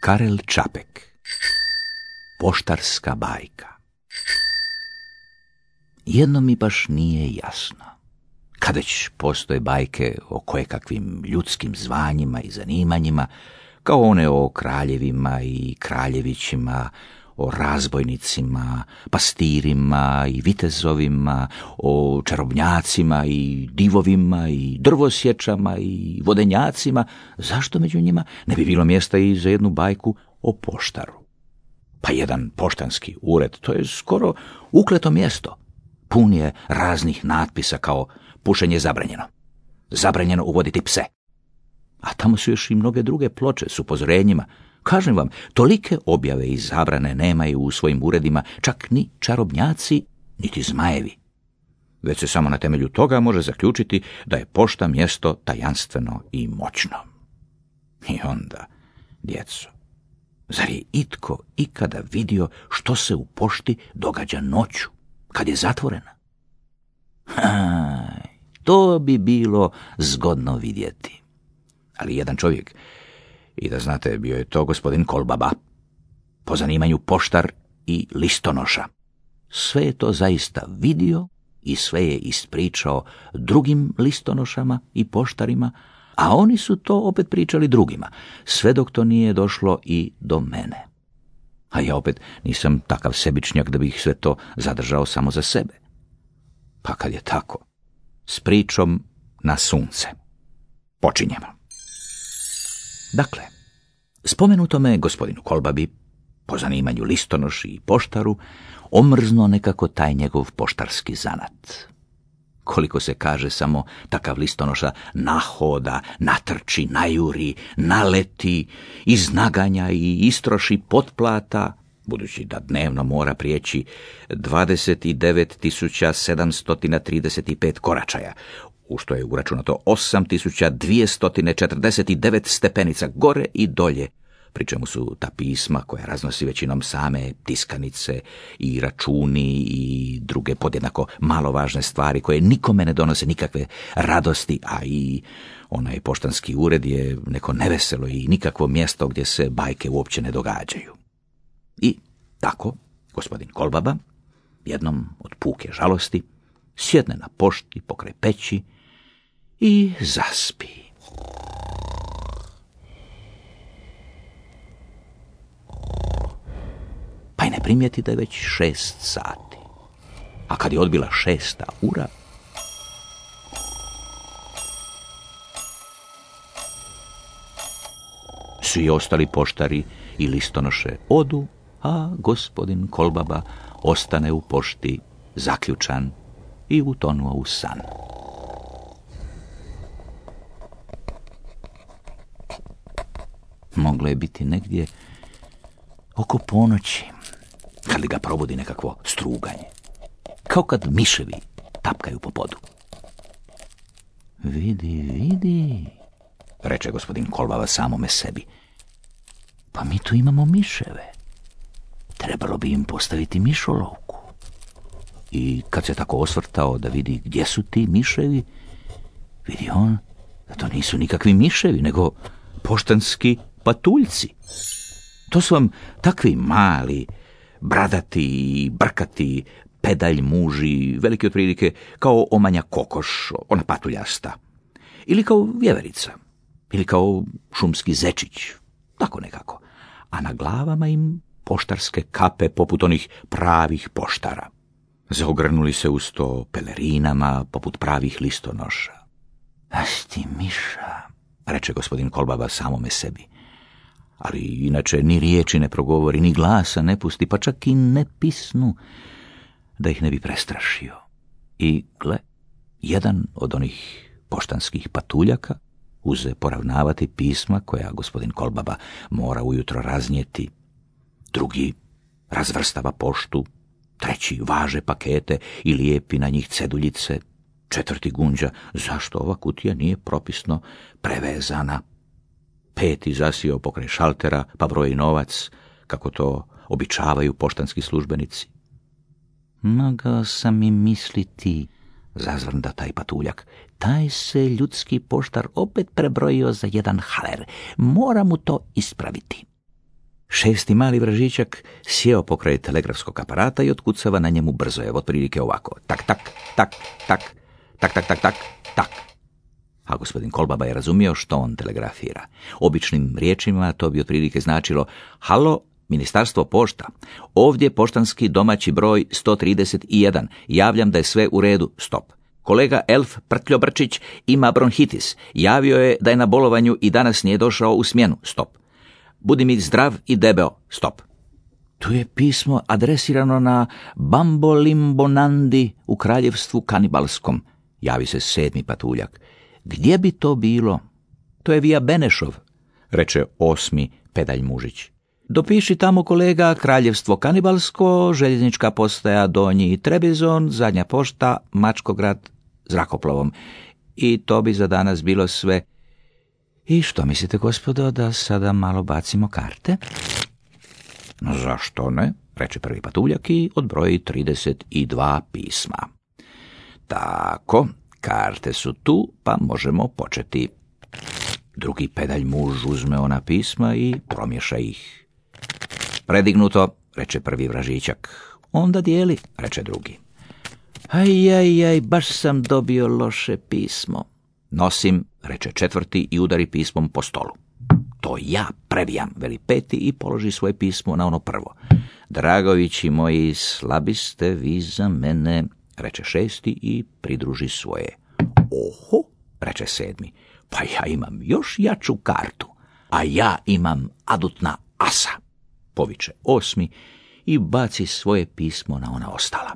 Karel Čapek. Poštarska bajka. Jedno mi baš nije jasno. Kad već postoje bajke o kojekakvim ljudskim zvanjima i zanimanjima, kao one o kraljevima i kraljevićima, o razbojnicima, pastirima i vitezovima, o čarobnjacima i divovima i drvosječama i vodenjacima, zašto među njima ne bi bilo mjesta i za jednu bajku o poštaru? Pa jedan poštanski ured, to je skoro ukleto mjesto. Pun je raznih natpisa kao pušenje zabranjeno, zabranjeno uvoditi pse. A tamo su još i mnoge druge ploče s upozorenjima. Kažem vam, tolike objave i zabrane nemaju u svojim uredima čak ni čarobnjaci, niti zmajevi. Već se samo na temelju toga može zaključiti da je pošta mjesto tajanstveno i moćno. I onda, djeco, zar je itko ikada vidio što se u pošti događa noću, kad je zatvorena? To bi bilo zgodno vidjeti. Ali jedan čovjek, i da znate, bio je to gospodin Kolbaba, po zanimanju poštar i listonoša. Sve je to zaista vidio i sve je ispričao drugim listonošama i poštarima, a oni su to opet pričali drugima, sve dok to nije došlo i do mene. A ja opet nisam takav sebičnjak da bih sve to zadržao samo za sebe. Pa kad je tako, s pričom na sunce. Počinjemo. Dakle, spomenutome gospodinu Kolbabi, po zanimanju listonoši i poštaru, omrzno nekako taj njegov poštarski zanat. Koliko se kaže, samo takav listonoša nahoda, natrči, najuri, naleti, iznaganja i istroši potplata, budući da dnevno mora prijeći 29.735 koračaja, u što je uračunato 8.249 stepenica gore i dolje, pri čemu su ta pisma koja raznosi većinom same tiskanice i računi i druge podjednako malo važne stvari koje nikome ne donose nikakve radosti, a i onaj poštanski ured je neko neveselo i nikakvo mjesto gdje se bajke uopće ne događaju. I tako gospodin Kolbaba, jednom od puke žalosti, sjedne na pošti pokraj peći i zaspi. Pa i ne primijeti da je već 6 sati. A kad je odbila 6. ura, svi ostali poštari i listonoše odu, a gospodin Kolbaba ostane u pošti zaključan i utonuo u san. Moglo je biti negdje oko ponoći, kad li ga probudi nekakvo struganje, kao kad miševi tapkaju po podu. Vidi, reče gospodin Kolbaba samome sebi, pa mi tu imamo miševe. Trebalo bi im postaviti mišolovku. I kad se tako osvrtao da vidi gdje su ti miševi, vidi on da to nisu nikakvi miševi, nego poštanski patuljci. To su vam takvi mali, bradati i brkati pedalj muži, veliki otprilike kao omanja kokoš, ona patuljasta, ili kao vjeverica, ili kao šumski zečić, tako nekako, a na glavama im poštarske kape poput onih pravih poštara. Zaogrnuli se uz to pelerinama poput pravih listonoša. Asti miša, reče gospodin Kolbaba samome sebi, ali inače ni riječi ne progovori, ni glasa ne pusti, pa čak i ne pisnu, da ih ne bi prestrašio. I gle, jedan od onih poštanskih patuljaka uze poravnavati pisma koja gospodin Kolbaba mora ujutro raznijeti. Drugi razvrstava poštu, treći važe pakete i lijepi na njih ceduljice, četvrti gunđa zašto ova kutija nije propisno prevezana. Peti zasio pokraj šaltera pa broji novac, kako to običavaju poštanski službenici. Mogao sam i misliti, zazvrnda taj patuljak, taj se ljudski poštar opet prebrojio za jedan haler, mora mu to ispraviti. Šesti mali vražićak sjeo pokraj telegrafskog aparata i otkucava na njemu brzo je, otprilike ovako. Tak, tak, tak, tak, tak, tak, tak, tak, tak. A gospodin Kolbaba je razumio što on telegrafira. Običnim riječima to bi otprilike značilo: halo, Ministarstvo pošta, ovdje poštanski domaći broj 131, javljam da je sve u redu, stop. Kolega Elf Prtljobrčić ima bronhitis, javio je da je na bolovanju i danas nije došao u smjenu, stop. Budi mi zdrav i debeo, stop. Tu je pismo adresirano na Bambolimbonandi u kraljevstvu kanibalskom, javi se sedmi patuljak. Gdje bi to bilo? To je Via Benešov, reče osmi pedalj mužić. Dopiši tamo, kolega, kraljevstvo kanibalsko, željeznička postaja Donji Trebizon, zadnja pošta, Mačkograd, zrakoplovom. I to bi za danas bilo sve. I što mislite, gospodo, da sada malo bacimo karte? Zašto ne, reče prvi patuljak i odbroji 32 pisma. Tako, karte su tu, pa možemo početi. Drugi pedalj muž uzme ona pisma i promješa ih. Predignuto, reče prvi vražićak. Onda dijeli, reče drugi. Aj, baš sam dobio loše pismo. Nosim, reče četvrti i udari pismom po stolu. To ja previjam, veli peti i položi svoje pismo na ono prvo. Dragovići moji, slabi ste vi za mene, reče šesti i pridruži svoje. Oho, reče sedmi, pa ja imam još jaču kartu, a ja imam adutna asa, poviče osmi i baci svoje pismo na ona ostala.